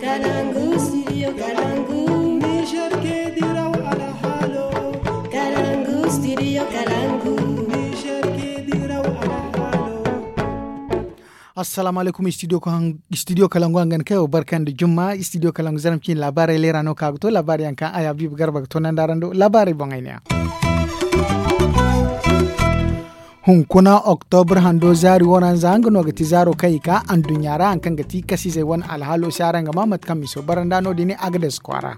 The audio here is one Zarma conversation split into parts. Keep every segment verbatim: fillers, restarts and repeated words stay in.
Kalangu, studio Kalangu. Niger ke diraw alhalo. Kalangu, studio Kalangu. Niger ke diraw alhalo. Assalamu alaikum, studio Kalangu hangan kayo barkan da jumma. Studio Kalangu zaram cin labarai lera no kaga to labarai yankan aya bibu garba ga to nan darando labarai bongai ne. Hunkuna oktobra hando zaari waranza nga no ga ti zaaro kaŋ i ka anduɲɲa ra haŋ kaŋ ga ti kasizey wane alhaalo se araŋ ga ma mate kaŋ miso baranda no- din agades kwaara.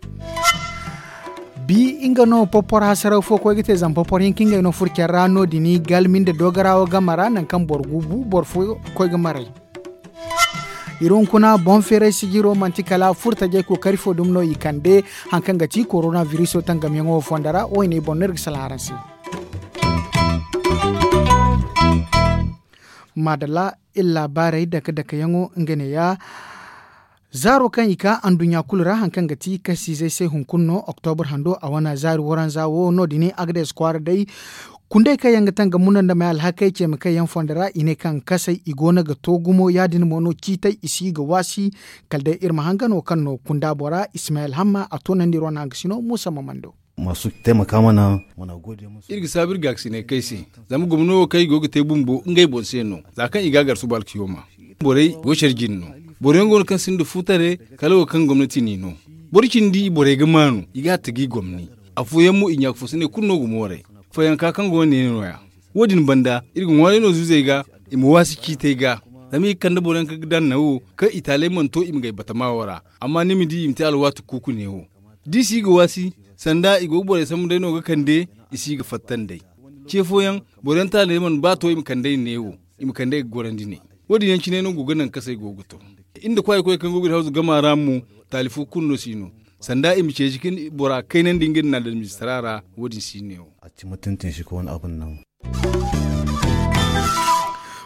Bi nga no popor hasaraw fo koy ga te zama popor hinka ngey no furcen ra no- din galmi nda dogarawo game ra naŋ kaŋ boro gu bu boro fo koy ga maray. Iri hunkuna boŋ feeray sijiro manti kala furtajey kookari fo dumi no i kande haŋ kaŋ ga ti korona viriso tangamyaŋo fondo ra woyne boŋ no iri ga salaŋ araŋ se. Maadalla, iri laabaarey dake-dakeyaŋo nga neeya. Zaaro kaŋ i ka anduɲɲa kulu ra haŋ kaŋ ga ti kasiizey se hunkuna no oktobra hando a wane zaari waranza wo no- din agades kwaara day. Kundey kaŋ yaŋ ga tangam muna nda may alhakey ceema kaŋ yaŋ fondo ra i ne kaŋ kasey i go no ga to gumo ya- din mo no ciitay i si ga waasi. Kala day iri ma hangano kaŋ no kunda bora ismayel hamma a toonandi iri wane haŋ ga sino muusa ma mando. Masu taimaka mana muna gode musu. Iri ga saabu iri gaakasinay kay se zama gomno wo kaŋ i go ga te bumbo ngey boŋ se no. Za kaŋ i ga a gar suba alkiyoma borey go care jine no. Boro yaŋ go no kaŋ sinda futare kala wo kaŋ gomnati n'i no. Boro cindi borey ga maanu i ga a tagi gomni. Afooyaŋ mo i ɲaaka fo se ne kulu no ga mooray. Fooyaŋ ka kaŋ go no neene no- ya. Wo- din banda iri ga ŋwaaray no zuuzey ga i ma waasi ciitay ga. Zama i ga kande boro yaŋ kaŋ ga daŋ nawo kaŋ i taaley mana to i ma gay batama wo ra. Amma ni ma di i ma te alwaati kuuku neewo. Da i si ga waasi sanda i go ga borey sambu day no ga kande i si ga fatta nd'ey. Ce fooyaŋ boro yaŋ taaley mana ba to i ma kand'ey neewo. I ma kand'ey ga gorandi ne. Wo- din yaŋ cine no go ga naŋ kasey go ga to. Iri nda kwaayey koy kaŋ go ga iri hawzu gama ra mo taali fo kulu no si no. Sanda i ma ceeci ka bora kaynandi nga nda naadalmizistara ra. Wo- din si neewo.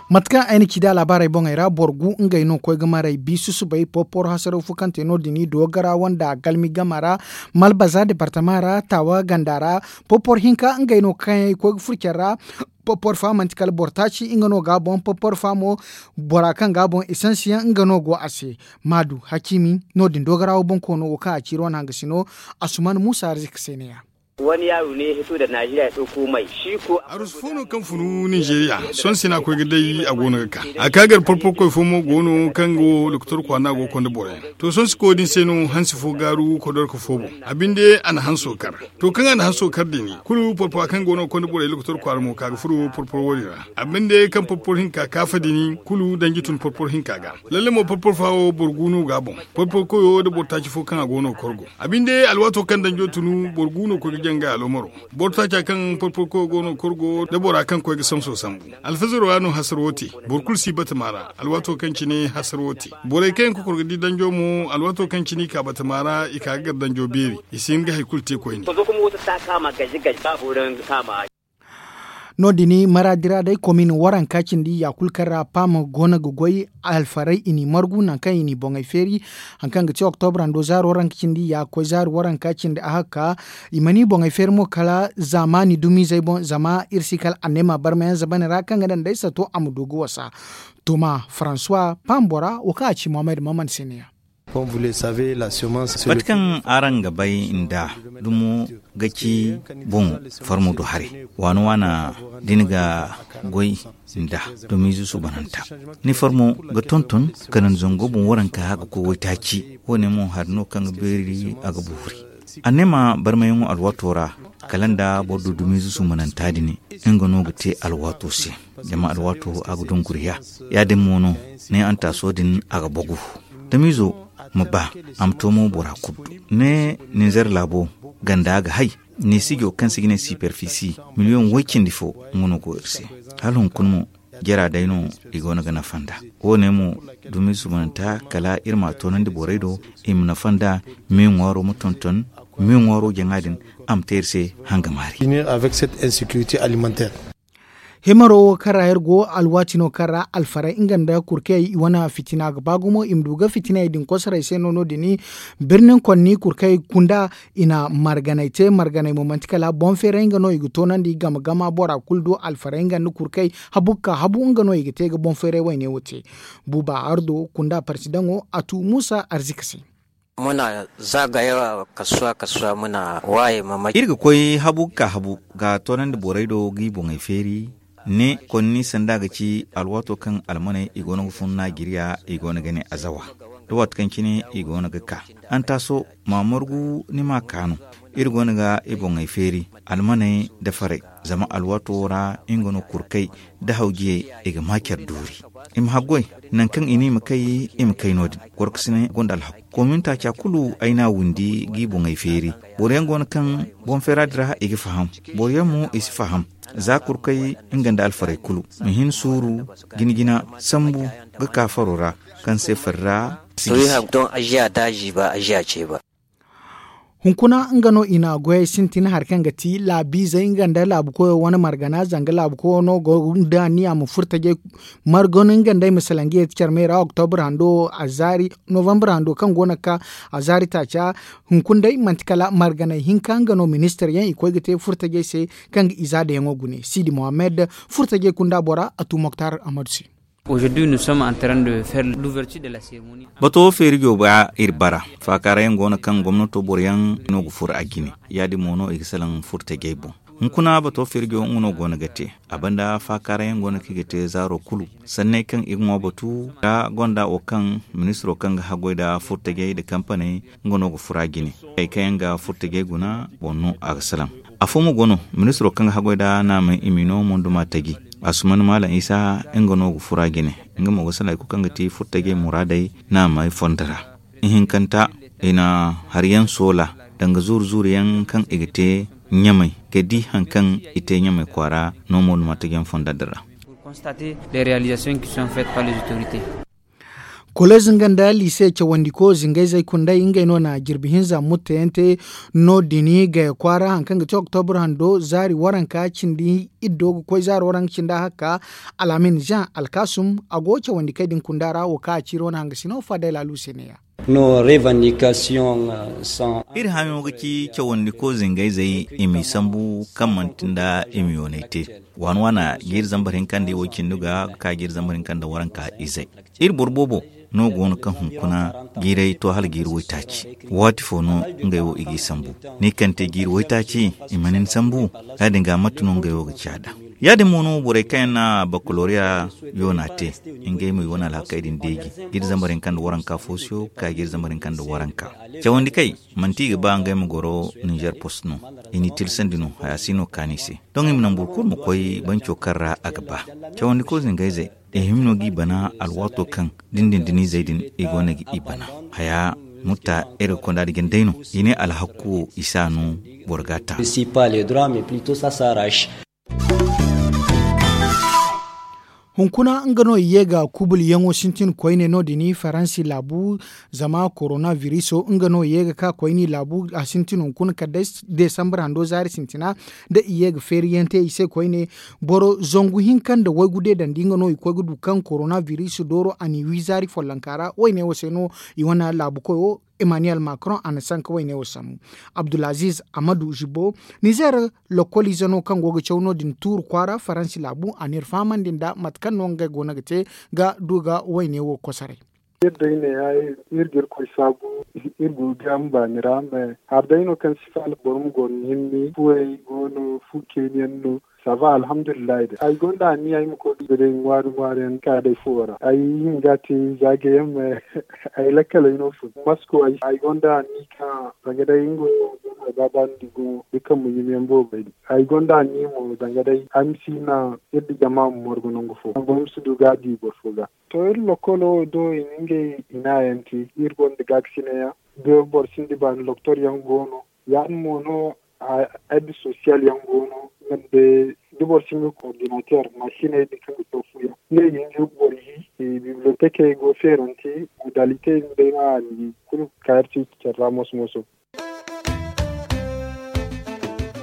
Mate kaŋ ay na ci da laabaarey boŋey ra boro gu ngey no koy ga maray bi susubay porpor hasaraw fo kaŋ te no- din dogara wanda galmi gama ra. Malbaza departama ra taawa ganda ra porpor hinka ngey no kaŋ yaŋ i koy ga furo care ra. Porpor fa manti kala boro taaci nga no ga a boŋ porpor fa mo bora kaŋ ga a boŋ esansiyaŋ nga no go a se. Maadu hakiimi no- din dogara wo boŋ koono wo kaŋ a ciiri wane hangasino. Asuman muusa arzika se ne ya. Wani yaaru ne ya hito da najeriya ya ɗauko mai shi ko. Arusu fo no kaŋ funu ninzeeriya sohõ se no a koy ga day a go no ga ka. A ka gar porpor koy fo mo go no kaŋ go doktor kwaana go ga konda boro yaŋ. To sohõ se koy din se no hansi fo gaaru kodorka fo boŋ. A binde a na hanso kar. To kaŋ a na hanso kar din kulu porpora kaŋ go no ga konda borey doktor kwaara mo ka ga furo porpor wo- din ra. A binde kaŋ porpor hinka kaafa din kulu danji tun porpor hinka ga. Lalle mo porpor fa wo boro gu no ga a boŋ. Porpor koyo nda boro taaci fo kaŋ a go no ga korgo. A binde alwaato kaŋ danjo tunu boro gu no koy ga janga alomaro. Boro taaca kaŋ porpor koyo go no ga korgo nda bora kaŋ koy ga samso sambu. Alfazaro ra no hasaro te. Boro kulu si batama ra alwaato kaŋ cine hasaro te. Borey kaŋ yaŋ ga kor ga di danjo mo alwaato kaŋ cine i ka batama ra i ka ga gar danjo beeri. I si hin ga hari kulu te koyne. No- din maraadi ra day komin waranka cindi ya kulu kaŋ ra paama go no ga goy. Alfaray i n'i margu naŋ kaŋ i n'i boŋey feeri. Haŋ kaŋ ga ti oktobra hando zaari waranka cindi ya ga koy zaari waranka cindi a hagga ka i mana i boŋey feeri mo kala zaamaani dumiizey boŋ zama iri si kala anneema barmayaŋ zabane ra kaŋ ga naŋ day sato a ma du ga wasa. Toma faransuwa paama bora wo kaŋ a ci mohammed maman se ne ya. Mate kaŋ araŋ ga bay nda dumo ga ci boŋ farmo do haray waana waana da ni ga goy nda dumiize suubananta ni farmo ga tonton kanandi zango boŋ waranka ga koy waytaaci. Wo- ne mo hari no kaŋ ga beeri a ga buuri. Anneema barmayaŋo alwaato ra kala nda boro du dumiize suubananta din nga no ga te alwaato se. Zama alwaato a ga dunguriya ya- din mo no ne antaaso din a ga bagu. Damiizo ma ba a ma to mo bora kulu du ne ninzer laabo ganda ga hay. Neesijo kaŋ se ga ne siperfisi miliyoŋ woy cindi fo nga no go iri se. Hala hunkuna mo jara day no i go no ga nafa nd'a. Wo- ne mo dumi suubananta kala iri ma a toonandi borey do i ma nafa nd'a. Me ŋwaaro ma tonton me ŋwaaro jaŋa din a ma te iri se hangamaari. Himaro wo kaŋ ra iri go alwaati no kaŋ ra alfaray nga nda kurkey i wane fitina ga ba gumo i ma du ga fitiney din kosoray se no no- din birnin konni kurkey kunda. I na marganey te marganey mo manti kala boŋ feeray nga no i ga toonandi game gama bora kulu do alfaray nga nda kurkey habu ga ka habu nga no i ga te ga boŋ feeray wayne wo te. Buuba ardo kunda parsidaŋo a tu muusa arzika se. Muna zagaya kasuwa kasuwa muna waye mamaki. Iri ga koy habu ga ka habu ga toonandi borey do g'i boŋey feeri. Ne konni sanda ga ci alwaato kaŋ almaney i go no ga fun naajiriya i go no ga ne azawa da waati kaŋ cine i go no ga ka. Antaaso ma margu ni ma ka no. Iri go no ga i boŋey feeri almaney da farey zama alwaato wo ra nga no kurkey da hawjiyey i ga ma care duuri. I ma haggoy nangu kaŋ i ne i ma kay i ma kay no- din. Gorkasine gonda alhaku komin taaca kulu ay n'a windi g'i boŋey feeri. Boro yaŋ go no kaŋ boŋ feera din ra i ga faham. Boro yaŋ mo i si faham. Za kurkey nga nda alfarey kulu ma hin suuru jina jina sambu ga ka faro ra kaŋ se fari ra si gisi. Hunkuna nga no i na goyey sintin hari kaŋ ga ti laabiizey nga nda laabu koyo wane margana zanga laabu koyo no go nda niya ma furo tajey margano nga nda ay ma salaŋ ga yeeti care me ra oktobur hando a zaari novambur hando kaŋ go no ga ka a zaari taaca. Hunkuna day manti kala marganay hinka nga no ministir yaŋ i koy ga te furo tajey se kaŋ ga i za dayaŋo gune siidi mohammed furo tajey kunda bora a tu moktar ahmadu se. Bato feeri jooba iri bara faakaara yaŋ go no kaŋ gomnato boro yaŋ no ga furo a jine. Ya- din mo no i ga salaŋ furtajey boŋ. Hunkuna bato feeri jooba nga no go no ga te a banda faakaara yaŋ go no kaŋ i ga te zaaro kulu sanney kaŋ i ga ŋwa batu da gonda wo kaŋ ministiro kaŋ ga haggoy nda furtajey nda kampaney nga no ga furo a jine. Hari kaŋ yaŋ ga furtajey guna boŋ no a ga salaŋ. Afo mo go no ministiro kaŋ ga haggoy nda naamey i m'i no monduma taji. Asuman maalam isa nga no ga furo a jine. Nga mo ga salaŋ hari kulu kaŋ ga ti furtajey muraadey naamey fondo ra. Ihinkanta i na hari yaŋ soola danga zuuru zuuru yaŋ kaŋ i ga te ɲamey ga di hari kaŋ i te ɲamey kwaara no monduma taji yaŋ fondo din ra. Koleez nga nda liise cawandiko zingayzey kunday ngey no na jirbi hinza mutteyaŋ te no- din gaya kwaara hari kaŋ ga ti oktobur hando zaari waranka cindi iddo ga koy zaari waranka cindi a hakka. Alaamin jean alkaasum a go cawandikey din kunda ra wo kaŋ a ciiri wane hangasino fadayla luuseneya. Iri hayo ga ci cawandiko zingayzey i m'i sambu kaŋ manti nda i ma yoonay te waana waana jiiri zambar hinka nda i wo cindi ga ga ka jiiri zambar hinka nda waranka izey. Iri boro boobo no go no kaŋ hunkuna jiiray to hala jiiri waytaaci. Waati fo no ngey wo i g'i sambu ni kaŋ te jiiri waytaaci i mana ni sambu. Ya- din ga mate no ngey wo ga ci a da. Ya- din mo no borey kaŋ yaŋ na bakaloriya yoona te ngey mo i wane alhakey din deeji jiiri zambar hinka nda waranka foosiyo ga ka jiiri zambar hinka nda waranka. Cawandi kay manti i ga ba ngey ma goro ninzeer post no. I n'i tilasandi no haya si no kaani se. Doŋ i ma naŋ boro kulu ma koy banco kaŋ ra a ga ba. Cawandi koy zingayzey i hima no g'i bana alwaato kaŋ dindindinizey din i go no ga i bana. Haya mutta iri ga konda da jandey no i ne alhakku wo i si a no boro ga a ta. Hunkuna nga no i ye ga kubulyaŋo sintin koyne no- din faransi laabu. Zama korona viriso nga no i ye ga ka koyne laabu a sintin hunkuna kala day desambar hando zaari sintina da i ye ga feeriyaŋ te i se koyne. Boro zangu hinka nda waygu deedandi nga no i koy ga du kaŋ korona viriso dooro a n'i wi zaari follonka ra wayne wo se no i wane laabu koyo emmanuel macron a na sanka wayne wo sambu. Abdulaziz amadu zibo nizer lokoliize no kaŋ go ga caw no- din tuuru kwaara faransi laabu a n'iri fahamandi nda mate kaŋ no ngey goono ga te ga du ga wayne wo kosoray. Iri day ne ya iri ga irkoy saabu. Iri go ga yaŋ baani ra me hari day no kaŋ si faala boro ma goro ni hinne fuwey go no fu keeni yaŋ no. Sava alhamdulillahi day ay gonda anniya ay ma koy ga day ŋwaari ŋwaari yaŋ ka day fuwo ra ay hinga te zaage yaŋ me. Ay lakkaley no fun masko ay gonda anni ka zanga day nga no ay baaba no di gumo da kambe yumyaŋ boobey din ay gonda anni mo zanga day ay ma si na iri da jama ma morgu nangu fo boro ma si du ga a di boro fo ga. To iri lokolo wo do i na ngey i naayaŋ te iri gonda gaakasinay yaŋ. Da boro sinda baani doktor yaŋ go no ya- din mo no. Aide sosiyal yaŋ go no nga nda da boro sinda koordinater masiney din kaŋ ga caw fu yaŋ ne i ga hin ga boro hi. Bibliotekey go feerante modalite yaŋ day no a na i kulu ka iri ceeci care ra moso moso.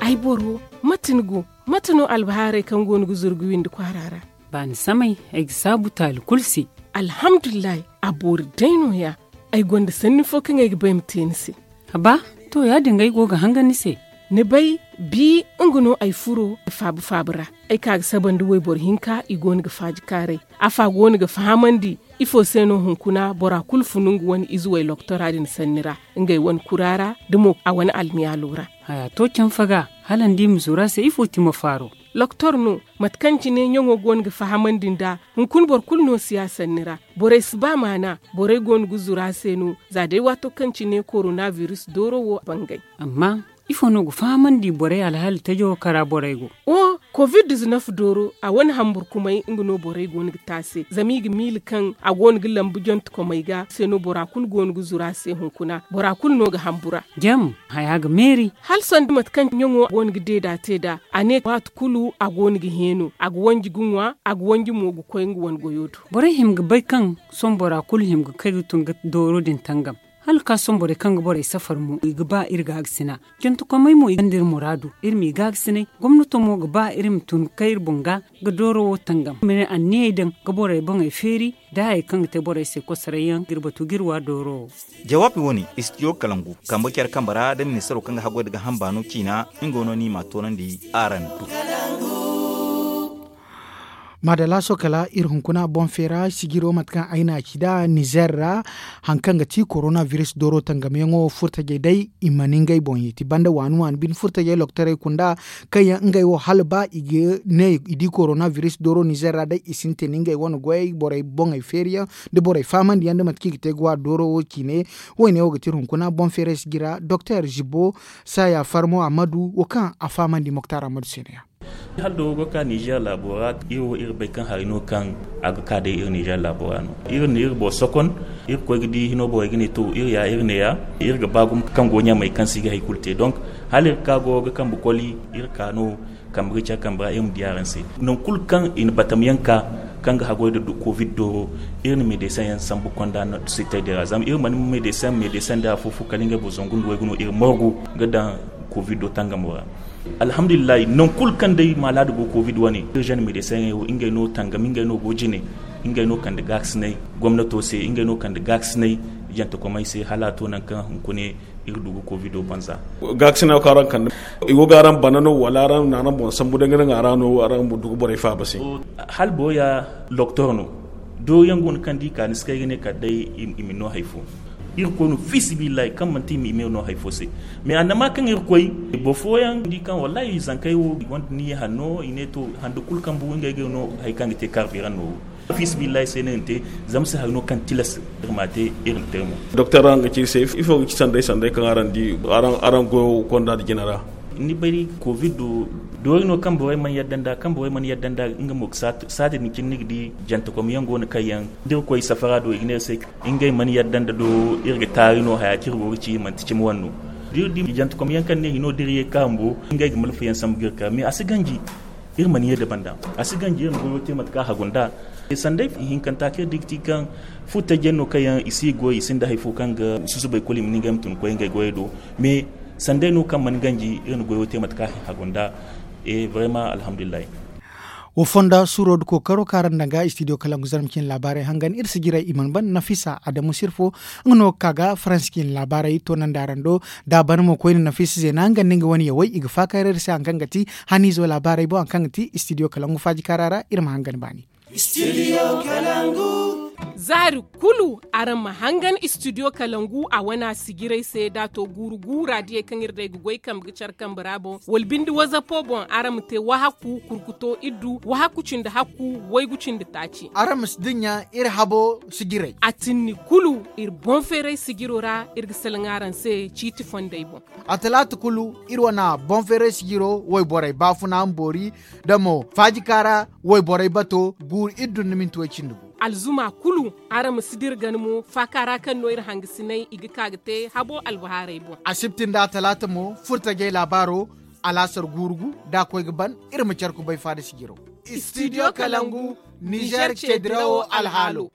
Ay boro, mate ni go? Mate no albahaarey kaŋ go no ga zuru ga windi kwaara ra? Baani samay ay ga saabu taali kulu se. Alhamdulillahi. A boori day no- ya. Ay gonda sanni fo kaŋ ay ga ba ay ma te ni se. Haba, to ya- din ga ay go ga hangan ni se. Ni bay, bi nga no ay furo faabu faabu ra. Ay ka ga saba nda wayboro hinka i go no ga faaji kaaray. Afa go no ga fahamandi. Ifo se no hunkuna bora kulu funu nga wane ize way loktora din sanni ra, ngey wane kura ra da mo a wane almiyaalo ra? Haya to canfa ga, hala ni di ma zuru a se ifo ti ma faaro? Loktor no, mate kaŋ cine ɲaŋo go no ga fahamandi nd'a. Hunkuna boro kulu no si a sanni ra. Borey si ba maana. Borey go no ga zuru a se no. Za day waato kaŋ cine korona biris dooro wo bangay. Amma ifo no ga fahamandi borey alhaali tajo kara borey go? O, covid dizinaf dooro a wane hamburkumay nga no borey go no ga te a se zama i ga miila kaŋ a go no ga lambu jantekomey ga se no bora kulu go no ga zuru a se hunkuna bora kulu no ga hambura. Jam, haya ga meeri. Hala sanda mate kaŋ ɲaŋo go no ga deeda te nd'a. A ne waati kulu a go no ga heeno a ga wanji ga ŋwa a ga wanji mo ga koy nga wane goyo do. Borey hima ga bay kaŋ sohõ bora kulu hima ga kay ga tun ga dooro din tangam. Hala ga ka sohõ borey kaŋ ga borey safar mo i ga ba iri gaagasina. Jantekomey mo i gonda iri muraadu iri m'i gaagasinay. Gomnato mo ga ba iri ma tun ga kay iri boŋ ga ga dooro wo tangam ma ne anniyey daŋ ga borey boŋey feeri. Da hayey kaŋ ga te borey se kosoray yaŋ ga iri batu ga iri wa dooro wo. Jawaabi wo-ne, istidiyo kalangu kambe care kambe ra da ministaro kaŋ ga haggoy nda gaaham baano ciina nga no no i m'a toonandi araŋ do. Maadalla sohõ kala iri hunkuna boŋ feera sijiro mate kaŋ ay n'a ci nd'a nizer ra. Hari kaŋ ga ti korona biris dooro tangamyaŋo furtajey day i mana ngey boŋ yeeti banda waani waani bine furtajey loktorey kunda kaŋ yaŋ ngey wo hala ba i ga ne i di korona biris dooro nizer ra day i sintin ngey wane goyey borey boŋey feeriyaŋ da borey fahamandi yaŋ da mate kaŋ i ga te ga wa dooro wo ciine. Wo- ne wo ga ti iri hunkuna boŋ feeray sijira doktor zibbo saya farmo ammadu wo kaŋ a fahamandi moktar ammadu se no- ya. Hala dooro go ga ka nizer laabo ra iri wo iri bay kaŋ hari no kaŋ a ga ka day iri nizer laabo ra no. Iri na iri boro sokon iri koy ga di hino borey ga ne to iri ya iri ne- ya iri ga ba gumo kaŋ go ɲamey kaŋ se i ga hari kulu te donk hala iri ga ka go ga kambe koli iri ka no kambe ga care kambe ra iri ma di araŋ se. Nangu kulu kaŋ i na batam yaŋ ka kaŋ ga haggoy nda covid dooro iri na medeseŋ yaŋ sambu konda sitay day ra zama iri mana medeseŋ medeseŋ day afo fo kala ngey boro zangu nda waygu no iri margu ga daŋ covid do tangamo ra. Alhamdulillahi nangu kulu kaŋ day maalaada go covid wane iri zane medeseŋey wo ngey no tangam ngey no go jine. Ngey no kande gaakasinay gomnato se ngey no kande gaakasinay jantekomey se hala a to nangu kaŋ hunkune iri du ga covid banza. Gaakasinay wo kaŋ araŋ kande i go ga araŋ bana no wala araŋ na araŋ boŋ sambu day ga naŋ a ra no araŋ ma du ga borey faaba se? Hala boro ya doktor no doori yaŋ go no kaŋ da i ka ni si kay ga ne kala day i ma ni no hari fo. Irkoy no fiisabilillahi kaŋ manti i ma i me no hari fo se. Mais annama kaŋ irkoy boro fooyaŋ di kaŋ wallahi zankey wo i gonda niyya hanno i ne to hando kulu kaŋ bu ngey ga no hari kaŋ ga te kaarbiran no wo. Fiisabilillahi se no iri na te zama se hari no kaŋ tilas iri m'a te. Iri ma te mo. Doktor araŋ ga ci iri se ifo ga ci sanday sanday kaŋ araŋ di araŋ goyo konda nda jina ra? Ni bay covid do doori no kaŋ borey mana yadda nd'a kaŋ borey mana yadda nd'a nga mo ga saati din cine ni ga di jantekomyaŋ go no kaŋ yaŋ da iri koy safara do i ga ne iri se ngey mana yadda nda do iri ga taari no haya kaŋ iri go ga ci manti cimi wane no. Da iri di jantekomyaŋ kaŋ ne hino da iri ye ga ka bumbo ngey ga malfayaŋ sambu ga iri ka mais a si ganji. Iri mana ye da banda a si ganji iri ma goyo te mate kaŋ a hagu nd'a. Sanday hinkanta kaŋ iri di ga ti kaŋ furtajey no kaŋ yaŋ i si goy i sinda hari fo kaŋ ga susubay kulu i ma ne ngey ma tun ga koy ngey goyey do. Mais sanday no kaŋ mana ganji iri na goyo te mate kaŋ a hagu nd'a. Vraiment alhamdulillahi. Wo fonda suuro nda kookaro kaŋ araŋ daŋ ga istidiyo kalangu zarma cine laabaarey hangan iri sijirey i mana ban nafisa adamu sirfo. Nga no ga ka ga faransi cine laabaarey toonandi araŋ do. Da a ban mo koyne nafisa zeena nga nda nga wane yawey i ga faakayra iri se hari kaŋ ga ti haniizo laabaarey boŋ hari kaŋ ga ti istidiyo kalangu faaji kaara ra iri ma hangan baani. Zaari kulu araŋ ma hangan istidiyo kalangu a wana sijirey se da a to guuru guura diyey kaŋ iri day ga goy kambe ga care kambe ra boŋ wala binde wazapo boŋ araŋ ma te wahakku kurkuto iddu wahakku cindi hakku waygu cindi taaci. Araŋ ma si dinya iri habo sijirey. A tinni kulu iri boŋ feeray sijiro ra iri ga salaŋ araŋ se ciiti fondey boŋ. A talaata kulu iri wana boŋ feeray sijiro wayborey baafuna mboori da mo faaji kaara wayborey bato guuru iddu nda minti way cindi gu. Alzuma kulu araŋ ma si dira gana mo faaka ra kaŋ no iri hangasinay i ga ka ga te habo albahaarey boŋ. Asibti nda talaata mo furtajey laabaaro alaasar guuru gu da a koy ga ban iri ma care kubay faada sijiro. Istidiyo kalangu nizer ceedirawo alhaalo.